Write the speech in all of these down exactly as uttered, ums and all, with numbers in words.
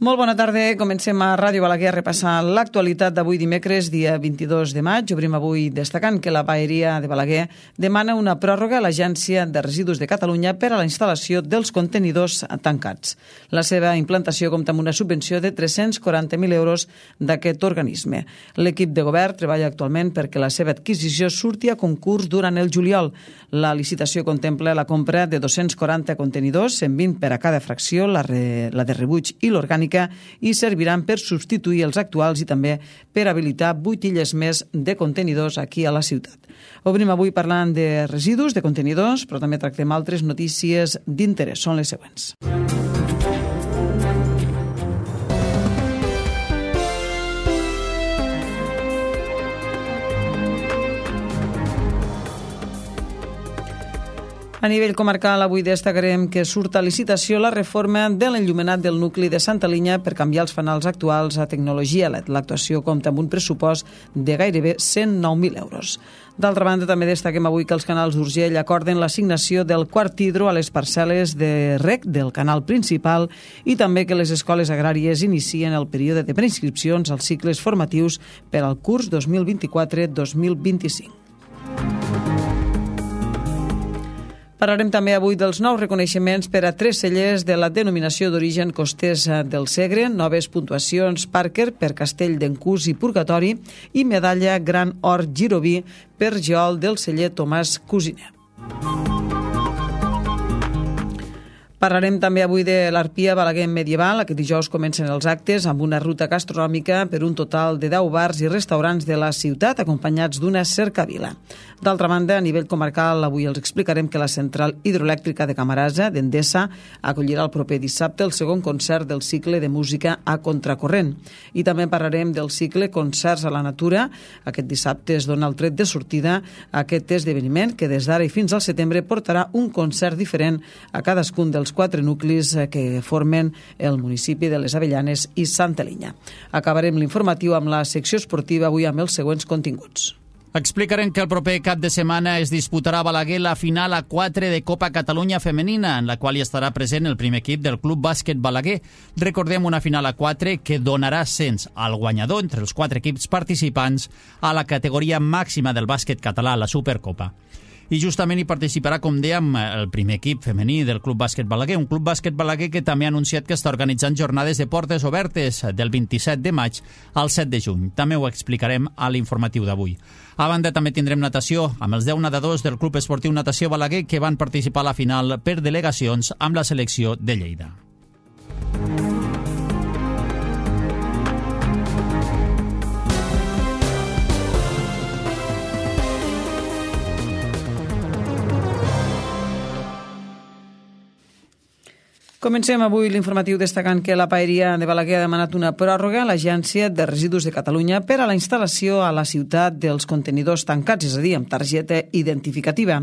Molt bona tarda. Comencem a Ràdio Balaguer a repassar l'actualitat d'avui dimecres, dia vint-i-dos de maig. Obrim avui destacant que la Paeria de Balaguer demana una pròrroga a l'Agència de Residus de Catalunya per a la instal·lació dels contenidors tancats. La seva implantació compta amb una subvenció de tres-cents quaranta mil euros d'aquest organisme. L'equip de govern treballa actualment perquè la seva adquisició surti a concurs durant el juliol. La licitació contempla la compra de dos-cents quaranta contenidors, cent vint per a cada fracció, la, re, la de rebuig i l'orgànica, i serviran per substituir els actuals i també per habilitar vuit illes més de contenidors aquí a la ciutat. Obrim avui parlant de residus, de contenidors, però també tractem altres notícies d'interès. Són les següents. A nivell comarcal, avui destacarem que surt a licitació la reforma de l'enllumenat del nucli de Santa Linya per canviar els fanals actuals a tecnologia L E D. L'actuació compta amb un pressupost de gairebé cent nou mil euros. D'altra banda, també destaquem avui que els canals d'Urgell acorden l'assignació del quart hidro a les parcel·les de reg del canal principal i també que les escoles agràries inicien el període de preinscripcions als cicles formatius per al curs dos mil vint-i-quatre dos mil vint-i-cinc. Parlarem també avui dels nous reconeixements per a tres cellers de la denominació d'origen costers del Segre, noves puntuacions Parker per Castell d'Encús i Purgatori i medalla Gran Or Giroví per geol del celler Tomàs Cusiner. Parlarem també avui de l'Arpia Balaguer Medieval. Aquest dijous comencen els actes amb una ruta gastronòmica per un total de deu bars i restaurants de la ciutat, acompanyats d'una cercavila. D'altra banda, a nivell comarcal, avui els explicarem que la central hidroelèctrica de Camarasa, d'Endesa, acollirà el proper dissabte el segon concert del cicle de música a contracorrent. I també parlarem del cicle Concerts a la Natura. Aquest dissabte es dona el tret de sortida a aquest esdeveniment que des d'ara i fins al setembre portarà un concert diferent a cadascun dels quatre nuclis que formen el municipi de les Avellanes i Santa Linya. Acabarem l'informatiu amb la secció esportiva avui amb els següents continguts. Explicarem que el proper cap de setmana es disputarà a Balaguer la final a quatre de Copa Catalunya Femenina, en la qual hi estarà present el primer equip del Club Bàsquet Balaguer. Recordem una final a quatre que donarà ascens al guanyador entre els quatre equips participants a la categoria màxima del bàsquet català, la Supercopa. I justament hi participarà, com dèiem, el primer equip femení del Club Bàsquet Balaguer, un Club Bàsquet Balaguer que també ha anunciat que està organitzant jornades de portes obertes del vint-i-set de maig al set de juny. També ho explicarem a l'informatiu d'avui. A banda, també tindrem natació amb els deu nedadors del Club Esportiu Natació Balaguer que van participar a la final per delegacions amb la selecció de Lleida. Comencem avui l'informatiu destacant que la Paeria de Balaguer ha demanat una pròrroga a l'Agència de Residus de Catalunya per a la instal·lació a la ciutat dels contenidors tancats, és a dir, amb targeta identificativa.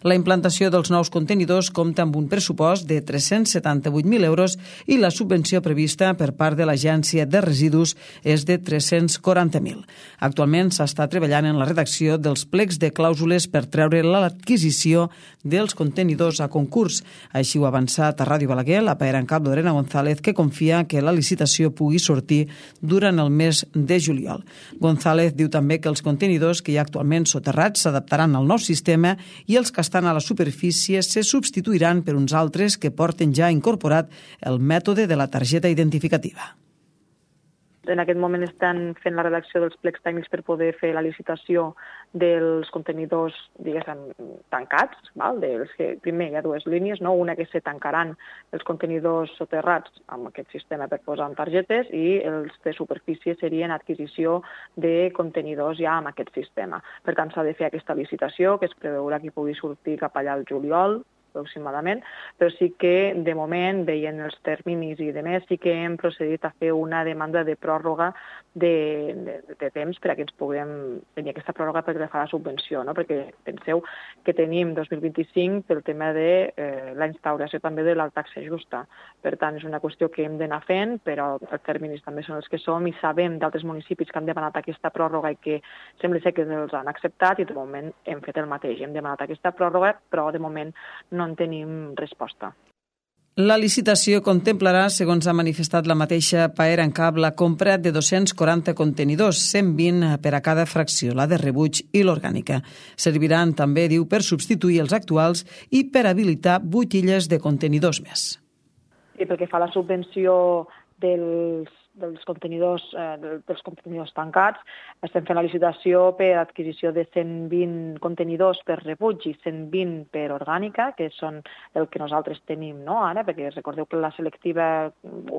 La implantació dels nous contenidors compta amb un pressupost de tres-cents setanta-vuit mil euros i la subvenció prevista per part de l'Agència de Residus és de tres-cents quaranta mil. Actualment s'està treballant en la redacció dels plecs de clàusules per treure l'adquisició dels contenidors a concurs. Així ho ha avançat a Ràdio Balaguer la paera en cap Lorena González, que confia que la licitació pugui sortir durant el mes de juliol. González diu també que els contenidors que hi ha actualment soterrats s'adaptaran al nou sistema i els que estan a la superfície se substituiran per uns altres que porten ja incorporat el mètode de la targeta identificativa. En aquest moment estan fent la redacció dels plecs tècnics per poder fer la licitació dels contenidors, diguéssim, tancats. Val? Dels que, primer hi ha dues línies, no? Una que se tancaran els contenidors soterrats amb aquest sistema per posar en targetes i els de superfície serien adquisició de contenidors ja amb aquest sistema. Per tant, s'ha de fer aquesta licitació, que es preveurà que pugui sortir cap allà al juliol, aproximadament, però sí que de moment, veient els terminis i de més, sí que hem procedit a fer una demanda de pròrroga de, de, de temps per a que ens puguem tenir aquesta pròrroga perquè fa la subvenció, no? Perquè penseu que tenim dos mil vint-i-cinc pel tema de eh, la instauració també de la taxa justa. Per tant, és una qüestió que hem d'anar fent, però els terminis també són els que som i sabem d'altres municipis que han demanat aquesta pròrroga i que sembla ser que els han acceptat i de moment hem fet el mateix. Hem demanat aquesta pròrroga, però de moment no en tenim resposta. La licitació contemplarà, segons ha manifestat la mateixa Paer en Cap, la compra de dos-cents quaranta contenidors, cent vint per a cada fracció, la de rebuig i l'orgànica. Serviran també, diu, per substituir els actuals i per habilitar vuit illes de contenidors més. I pel que fa a la subvenció dels dels contenidors, eh, dels contenidors tancats, estem fent la licitació per adquisició de cent vint contenidors per rebuig i cent vint per orgànica, que són el que nosaltres tenim, no, ara, perquè recordeu que la selectiva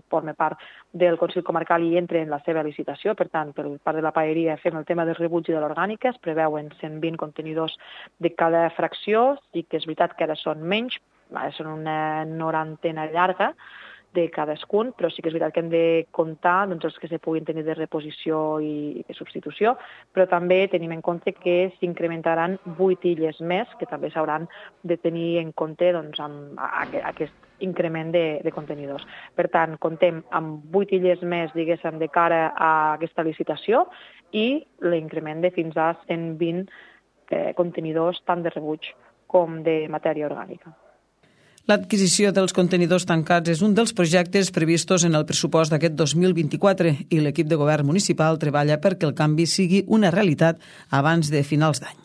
forma part del Consell Comarcal i entra en la seva licitació, per tant, per part de la paeria fem el tema del rebuig i de l'orgànica, es preveuen cent vint contenidors de cada fracció, i que és veritat que ara són menys, ara són una norantena llarga, de cadascun, però sí que és veritat que hem de comptar doncs, els que se puguin tenir de reposició i de substitució, però també tenim en compte que s'incrementaran vuit illes més, que també s'hauran de tenir en compte doncs, amb aquest increment de, de contenidors. Per tant, comptem amb vuit illes més, diguéssim, de cara a aquesta licitació i l'increment de fins a cent vint eh, contenidors tant de rebuig com de matèria orgànica. L'adquisició dels contenidors tancats és un dels projectes previstos en el pressupost d'aquest dos mil vint-i-quatre i l'equip de govern municipal treballa perquè el canvi sigui una realitat abans de finals d'any.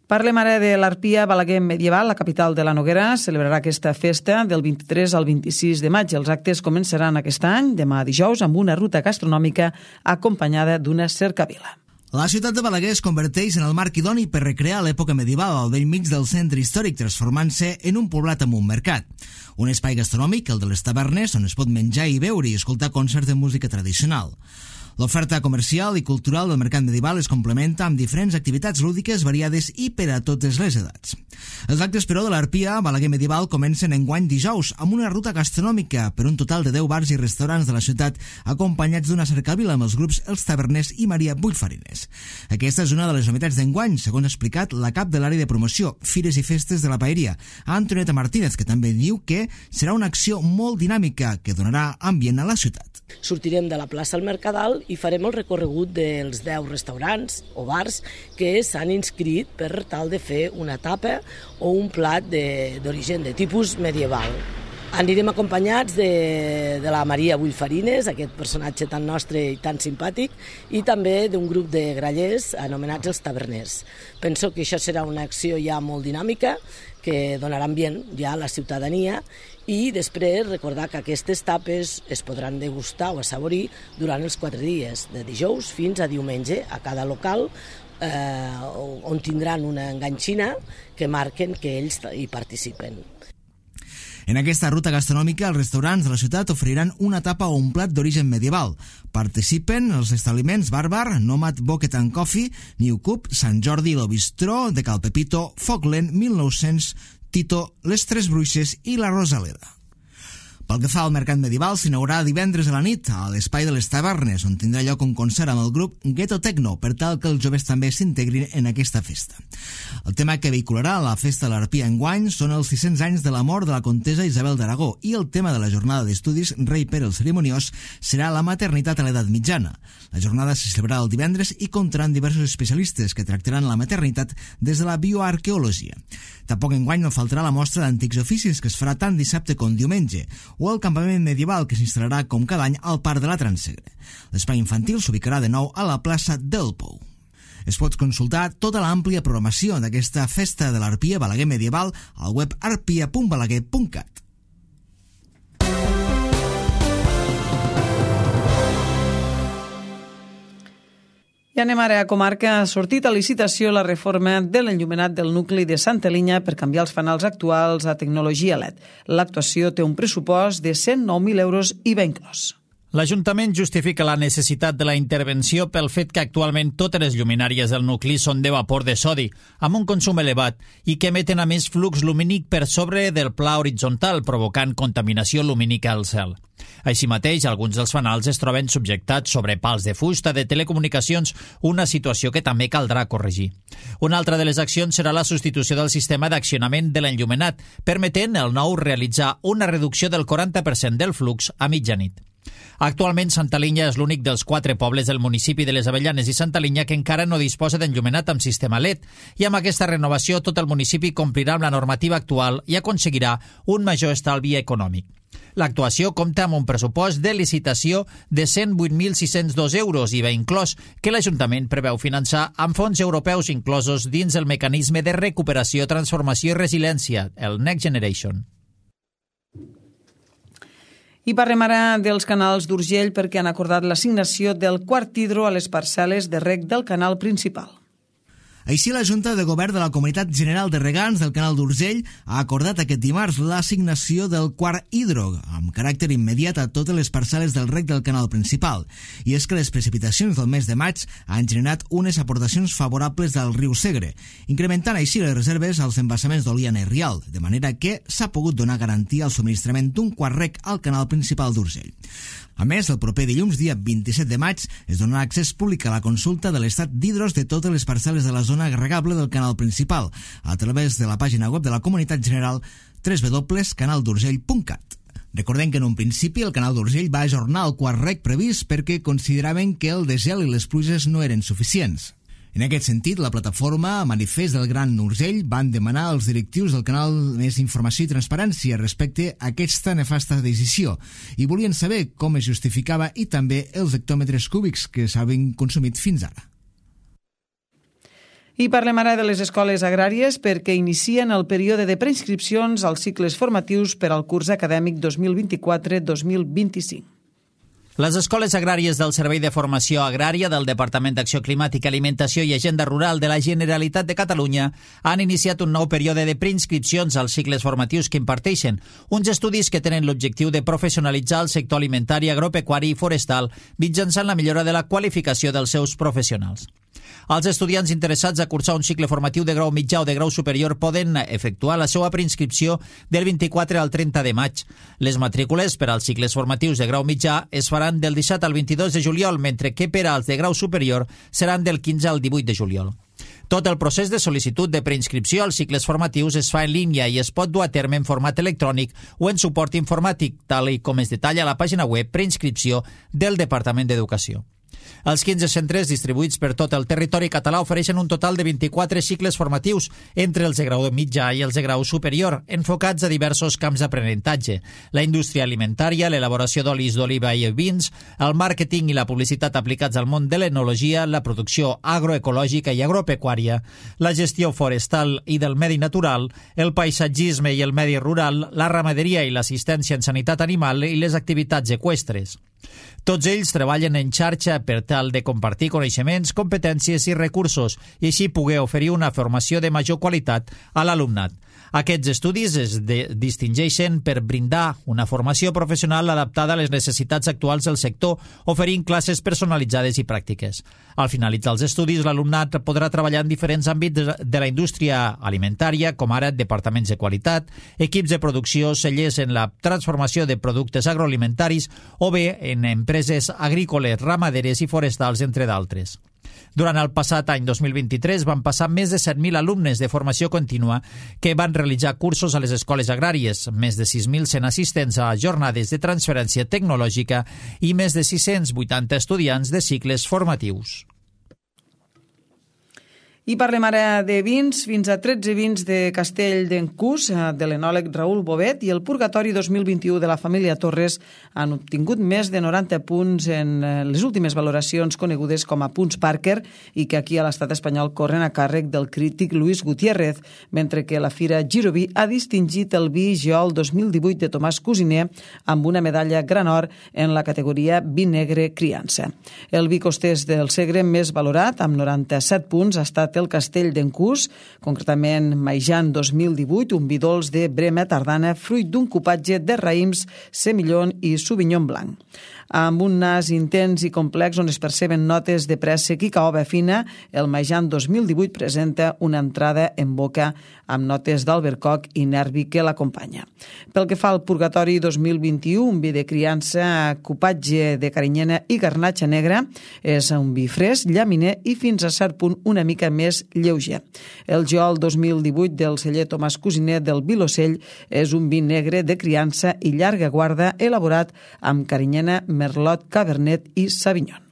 Parlem ara de l'Arpia Balaguer Medieval, la capital de la Noguera. Celebrarà aquesta festa del vint-i-tres al vint-i-sis de maig. Els actes començaran aquest any, demà dijous, amb una ruta gastronòmica acompanyada d'una cercavila. La ciutat de Balaguer es converteix en el marc idoni per recrear l'època medieval al bell mig del centre històric, transformant-se en un poblat amb un mercat. Un espai gastronòmic, el de les tavernes, on es pot menjar i beure i escoltar concerts de música tradicional. L'oferta comercial i cultural del mercat medieval es complementa amb diferents activitats lúdiques variades i per a totes les edats. Els actes, però, de l'Arpia Balaguer Medieval comencen enguany dijous amb una ruta gastronòmica per un total de deu bars i restaurants de la ciutat acompanyats d'una cercavila amb els grups Els Taverners i Maria Bullfarines. Aquesta és una de les novetats d'enguany, segons ha explicat la cap de l'àrea de promoció, Fires i Festes de la Paeria, Antonieta Martínez, que també diu que serà una acció molt dinàmica que donarà ambient a la ciutat. Sortirem de la plaça al Mercadal i farem el recorregut dels deu restaurants o bars que s'han inscrit per tal de fer una tapa o un plat d'origen de, de tipus medieval. Anirem acompanyats de, de la Maria Bullfarines, aquest personatge tan nostre i tan simpàtic, i també d'un grup de grallers anomenats els Taverners. Penso que això serà una acció ja molt dinàmica, que donarà ambient ja a la ciutadania, i després recordar que aquestes tapes es podran degustar o assaborir durant els quatre dies, de dijous fins a diumenge, a cada local, eh, on tindran una enganxina que marquen que ells hi participen. En aquesta ruta gastronòmica, els restaurants de la ciutat oferiran una tapa o un plat d'origen medieval. Participen els establiments Bàrbar, Nomad Bucket and Coffee, New Cup, Sant Jordi, Lo Bistró, de Cal Pepito, Foglen, mil nou-cents, Tito, Les Tres Bruixes i La Rosaleda. Pel que fa al mercat medieval, s'inaugurarà divendres a la nit a l'Espai de les Tavernes, on tindrà lloc un concert amb el grup Ghetto Techno, per tal que els joves també s'integrin en aquesta festa. El tema que vehicularà la festa de l'Arpia enguany són els sis-cents anys de la mort de la comtessa Isabel d'Aragó, i el tema de la jornada d'estudis Rei Pere el Cerimoniós serà la maternitat a l'edat mitjana. La jornada se celebrarà el divendres i comptaran diversos especialistes que tractaran la maternitat des de la bioarqueologia. Tampoc enguany no faltarà la mostra d'antics oficis, que es farà tant dissabte com diumenge, o el campament medieval, que s'instal·larà com cada any al Parc de la Transsegre. L'espai infantil s'ubicarà de nou a la plaça del Pou. Es pot consultar tota l'àmplia programació d'aquesta festa de l'Arpia Balaguer Medieval al web arpia punt balaguer punt cat. I anem ara a comarca. Ha sortit a licitació la reforma de l'enllumenat del nucli de Santa Linya per canviar els fanals actuals a tecnologia L E D. L'actuació té un pressupost de cent nou mil euros i va inclòs. L'Ajuntament justifica la necessitat de la intervenció pel fet que actualment totes les lluminàries del nucli són de vapor de sodi, amb un consum elevat, i que emeten a més flux lumínic per sobre del pla horitzontal, provocant contaminació lumínica al cel. Així mateix, alguns dels fanals es troben subjectats sobre pals de fusta de telecomunicacions, una situació que també caldrà corregir. Una altra de les accions serà la substitució del sistema d'accionament de l'enllumenat, permetent el nou realitzar una reducció del quaranta per cent del flux a mitjanit. Actualment, Santa Linya és l'únic dels quatre pobles del municipi de les Avellanes i Santa Linya que encara no disposa d'enllumenat amb sistema L E D, i amb aquesta renovació tot el municipi complirà amb la normativa actual i aconseguirà un major estalvi econòmic. L'actuació compta amb un pressupost de licitació de cent vuit mil sis-cents dos euros, I V A inclòs, que l'Ajuntament preveu finançar amb fons europeus inclosos dins el mecanisme de recuperació, transformació i resiliència, el Next Generation. I parlem ara dels canals d'Urgell perquè han acordat l'assignació del quart hidro a les parcel·les de reg del canal principal. Així, la Junta de Govern de la Comunitat General de Regants del Canal d'Urgell ha acordat aquest dimarts l'assignació del quart hidro, amb caràcter immediat a totes les parcel·les del reg del canal principal. I és que les precipitacions del mes de maig han generat unes aportacions favorables del riu Segre, incrementant així les reserves als embassaments d'Oliana i Rial, de manera que s'ha pogut donar garantia al subministrament d'un quart reg al canal principal d'Urgell. A més, el proper dilluns, dia vint-i-set de maig, es donarà accés públic a la consulta de l'estat d'hidros de totes les parcel·les de la zona regable del canal principal, a través de la pàgina web de la Comunitat General w w w punt canal d'urgell punt cat. Recordem que en un principi el canal d'Urgell va ajornar el quart reg previst perquè consideraven que el desgel i les pluges no eren suficients. En aquest sentit, la plataforma Manifest del Gran Urgell van demanar als directius del canal més informació i transparència respecte a aquesta nefasta decisió i volien saber com es justificava i també els hectòmetres cúbics que s'havien consumit fins ara. I parlem ara de les escoles agràries perquè inicien el període de preinscripcions als cicles formatius per al curs acadèmic dos mil vint-i-quatre dos mil vint-i-cinc. Les escoles agràries del Servei de Formació Agrària del Departament d'Acció Climàtica, Alimentació i Agenda Rural de la Generalitat de Catalunya han iniciat un nou període de preinscripcions als cicles formatius que imparteixen, uns estudis que tenen l'objectiu de professionalitzar el sector alimentari, agropecuari i forestal mitjançant la millora de la qualificació dels seus professionals. Els estudiants interessats a cursar un cicle formatiu de grau mitjà o de grau superior poden efectuar la seva preinscripció del vint-i-quatre al trenta de maig. Les matrícules per als cicles formatius de grau mitjà es faran del disset al vint-i-dos de juliol, mentre que per als de grau superior seran del quinze al divuit de juliol. Tot el procés de sol·licitud de preinscripció als cicles formatius es fa en línia i es pot dur a terme en format electrònic o en suport informàtic, tal i com es detalla a la pàgina web preinscripció del Departament d'Educació. Els quinze centres distribuïts per tot el territori català ofereixen un total de vint-i-quatre cicles formatius entre els de grau mitjà i els de grau superior, enfocats a diversos camps d'aprenentatge: la indústria alimentària, l'elaboració d'olis d'oliva i vins, el màrqueting i la publicitat aplicats al món de l'enologia, la producció agroecològica i agropecuària, la gestió forestal i del medi natural, el paisatgisme i el medi rural, la ramaderia i l'assistència en sanitat animal i les activitats eqüestres. Tots ells treballen en xarxa per tal de compartir coneixements, competències i recursos i així poder oferir una formació de major qualitat a l'alumnat. Aquests estudis es de- distingeixen per brindar una formació professional adaptada a les necessitats actuals del sector, oferint classes personalitzades i pràctiques. Al finalitzar els estudis, l'alumnat podrà treballar en diferents àmbits de la indústria alimentària, com ara departaments de qualitat, equips de producció, cellers en la transformació de productes agroalimentaris o bé en empreses agrícoles, ramaderes i forestals, entre d'altres. Durant el passat any dos mil vint-i-tres van passar més de set mil alumnes de formació contínua que van realitzar cursos a les escoles agràries, més de sis mil cent assistents a jornades de transferència tecnològica i més de sis-cents vuitanta estudiants de cicles formatius. I parlem ara de vins, fins a tretze vins de Castell d'Encús, de l'enòleg Raül Bovet, i el Purgatori dos mil vint-i-u de la família Torres han obtingut més de noranta punts en les últimes valoracions conegudes com a punts Parker i que aquí a l'estat espanyol corren a càrrec del crític Luis Gutiérrez, mentre que la Fira Giroví ha distingit el vi Geol dos mil divuit de Tomàs Cusiner amb una medalla gran or en la categoria vi negre criança. El vi costès del Segre més valorat, amb noranta-set punts, ha estat el Castell d'Encús, concretament Maijan dos mil divuit, un vi dolç de Brema tardana, fruit d'un cupatge de raïms, semillon i sauvignon blanc. Amb un nas intens i complex on es perceben notes de préssec i caoba fina, el Maijan dos mil divuit presenta una entrada en boca amb notes d'albercoc i nervi que l'acompanya. Pel que fa al Purgatori dos mil vint-i-u, un vi de criança, cupatge de carinyena i garnatxa negra, és un vi fresc, llaminer i fins a cert punt una mica més més lleuger. El Geol dos mil divuit del celler Tomàs Cosinet del Vilocell és un vi negre de criança i llarga guarda elaborat amb carinyena, merlot, cabernet i sauvignon.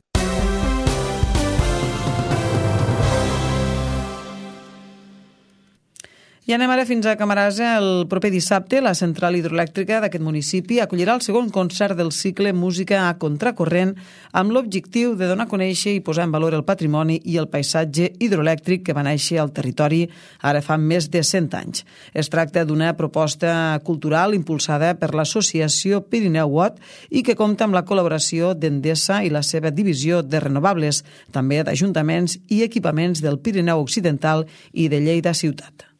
I anem ara fins a Camarasa. El proper dissabte, la central hidroelèctrica d'aquest municipi acollirà el segon concert del cicle Música a Contracorrent amb l'objectiu de donar a conèixer i posar en valor el patrimoni i el paisatge hidroelèctric que va néixer al territori ara fa més de cent anys. Es tracta d'una proposta cultural impulsada per l'associació Pirineu Watt i que compta amb la col·laboració d'Endesa i la seva divisió de renovables, també d'ajuntaments i equipaments del Pirineu Occidental i de Lleida Ciutat.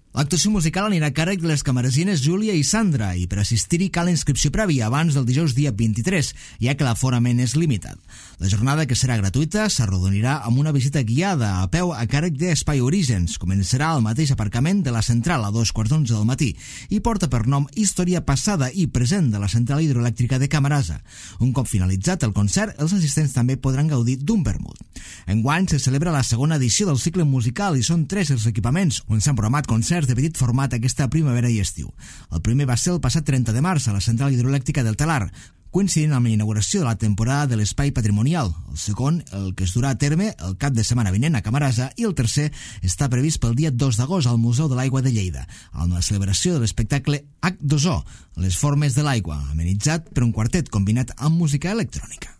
L'actuació musical anirà a càrrec de les camaresines Júlia i Sandra i per assistir-hi cal inscripció prèvia abans del dijous dia vint-i-tres, ja que l'aforament és limitat. La jornada, que serà gratuïta, s'arrodonirà amb una visita guiada a peu a càrrec d'Espai Orígens. Començarà al mateix aparcament de la central a dos quarts d'onze del matí i porta per nom Història passada i present de la central hidroelèctrica de Camarasa. Un cop finalitzat el concert, els assistents també podran gaudir d'un vermut. Enguany se celebra la segona edició del cicle musical i són tres els equipaments on s'han programat concerts de petit format aquesta primavera i estiu. El primer va ser el passat trenta de març a la central hidroelèctrica del Talar, coincidint amb la inauguració de la temporada de l'espai patrimonial. El segon, el que es durà a terme el cap de setmana vinent a Camarasa, i el tercer està previst pel dia dos d'agost al Museu de l'Aigua de Lleida, amb la celebració de l'espectacle H dos O, les formes de l'aigua, amenitzat per un quartet combinat amb música electrònica.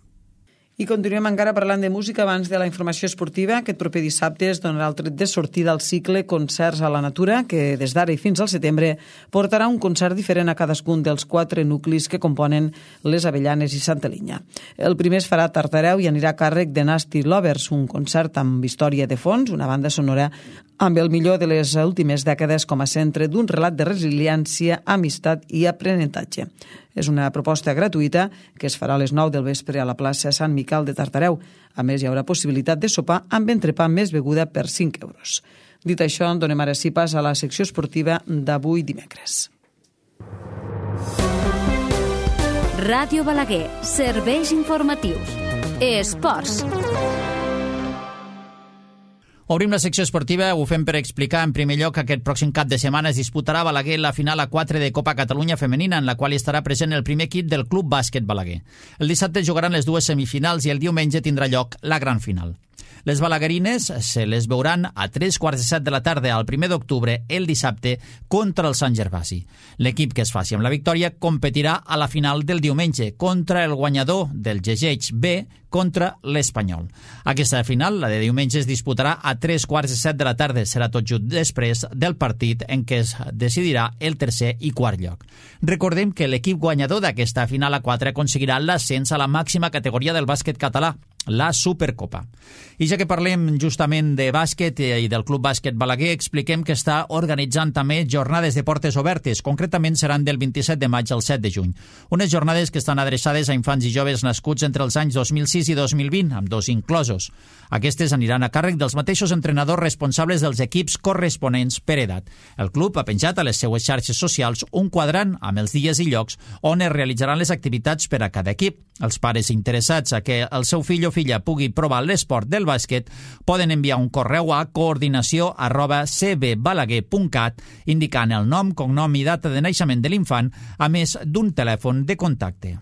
I continuem encara parlant de música abans de la informació esportiva. Aquest proper dissabte es donarà el tret de sortida al cicle Concerts a la Natura, que des d'ara i fins al setembre portarà un concert diferent a cadascun dels quatre nuclis que componen les Avellanes i Santa Linya. El primer es farà a Tartareu i anirà a càrrec de Nasty Lovers, un concert amb història de fons, una banda sonora amb el millor de les últimes dècades com a centre d'un relat de resiliència, amistat i aprenentatge. És una proposta gratuïta que es farà a les nou del vespre a la plaça Sant Miquel de Tartareu. A més, hi haurà possibilitat de sopar amb entrepà més beguda per cinc euros. Dit això, donem ara sí pas a la secció esportiva d'avui dimecres. Ràdio Balaguer, serveis informatius. Esports. Obrim la secció esportiva, ho fem per explicar en primer lloc que aquest pròxim cap de setmana es disputarà a Balaguer la final a quatre de Copa Catalunya Femenina, en la qual estarà present el primer equip del Club Bàsquet Balaguer. El dissabte jugaran les dues semifinals i el diumenge tindrà lloc la gran final. Les balaguerines se les veuran a tres quarts de set de la tarda al primer d'octubre, el dissabte, contra el Sant Gervasi. L'equip que es faci amb la victòria competirà a la final del diumenge contra el guanyador del G G H B contra l'Espanyol. Aquesta final, la de diumenge, es disputarà a tres quarts de set de la tarda. Serà tot just després del partit en què es decidirà el tercer i quart lloc. Recordem que l'equip guanyador d'aquesta final a quatre aconseguirà l'ascens a la màxima categoria del bàsquet català, la Supercopa. I ja que parlem justament de bàsquet i del Club Bàsquet Balaguer, expliquem que està organitzant també jornades de portes obertes. Concretament seran del vint-i-set de maig al set de juny. Unes jornades que estan adreçades a infants i joves nascuts entre els anys dos mil sis i dos mil vint, amb dos inclosos. Aquestes aniran a càrrec dels mateixos entrenadors responsables dels equips corresponents per edat. El club ha penjat a les seues xarxes socials un quadrant amb els dies i llocs on es realitzaran les activitats per a cada equip. Els pares interessats a que el seu fill o filla pugui provar l'esport del bàsquet poden enviar un correu a coordinació arroba c b balaguer punt cat indicant el nom, cognom i data de naixement de l'infant, a més d'un telèfon de contacte.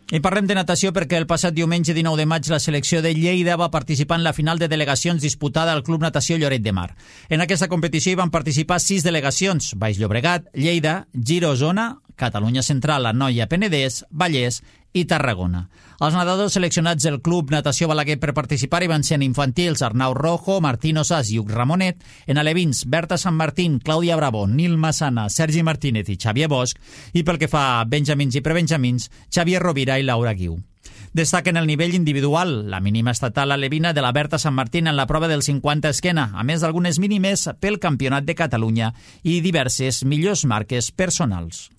I parlem de natació perquè el passat diumenge dinou de maig la selecció de Lleida va participar en la final de delegacions disputada al Club Natació Lloret de Mar. En aquesta competició hi van participar sis delegacions: Baix Llobregat, Lleida, Giro Osona, Catalunya Central, Anoia, Penedès, Vallès i Tarragona. Els nedadors seleccionats del Club Natació Balaguer per participar hi van ser en infantils Arnau Rojo, Martín Osàs i Huc Ramonet, en alevins Berta Sant Martín, Clàudia Bravo, Nil Massana, Sergi Martínez i Xavier Bosch, i pel que fa a benjamins i prebenjamins, Xavier Rovira i Laura Guiu. Destaquen el nivell individual, la mínima estatal alevina de la Berta Sant Martín en la prova del cinquanta esquena, a més d'algunes mínimes pel Campionat de Catalunya i diverses millors marques personals.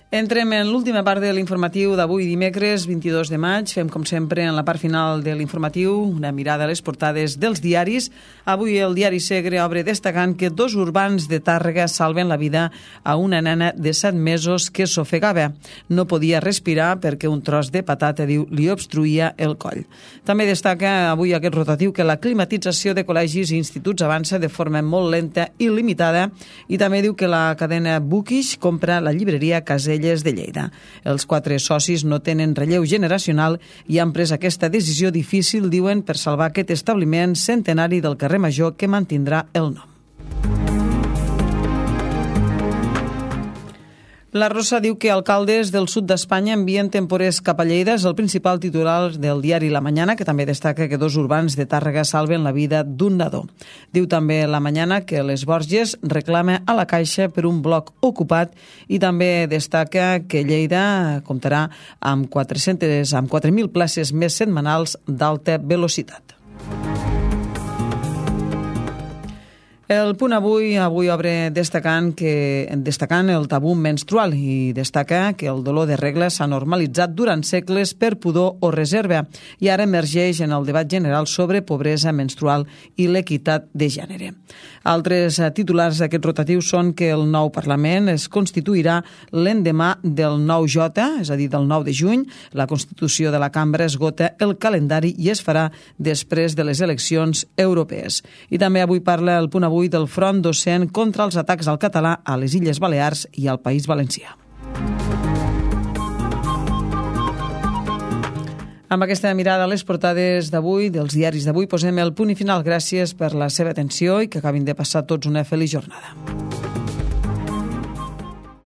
Entrem en l'última part de l'informatiu d'avui dimecres vint-i-dos de maig. Fem, com sempre, en la part final de l'informatiu una mirada a les portades dels diaris. Avui el diari Segre obre destacant que dos urbans de Tàrrega salven la vida a una nena de set mesos que s'ofegava. No podia respirar perquè un tros de patata, diu, li obstruïa el coll. També destaca avui aquest rotatiu que la climatització de col·legis i instituts avança de forma molt lenta i limitada, i també diu que la cadena Bookish compra la llibreria Casella de Lleida. Els quatre socis no tenen relleu generacional i han pres aquesta decisió difícil, diuen, per salvar aquest establiment centenari del carrer Major que mantindrà el nom. La Rosa diu que alcaldes del sud d'Espanya envien temporers cap a Lleida. És el principal titular del diari La Mañana, que també destaca que dos urbans de Tàrrega salven la vida d'un nadó. Diu també La Mañana que les Borges reclama a la Caixa per un bloc ocupat, i també destaca que Lleida comptarà amb quatre-centes, amb quatre mil places més setmanals d'alta velocitat. El Punt Avui avui obre destacant que destacant el tabú menstrual i destaca que el dolor de regla s'ha normalitzat durant segles per pudor o reserva i ara emergeix en el debat general sobre pobresa menstrual i l'equitat de gènere. Altres titulars d'aquest rotatiu són que el nou Parlament es constituirà l'endemà del nou J, és a dir, del nou de juny. La Constitució de la Cambra esgota el calendari i es farà després de les eleccions europees. I també avui parla el Punt Avui del front docent contra els atacs al català a les Illes Balears i al País Valencià. Amb aquesta mirada a les portades d'avui, dels diaris d'avui, posem el punt i final. Gràcies per la seva atenció i que acabin de passar tots una feliç jornada.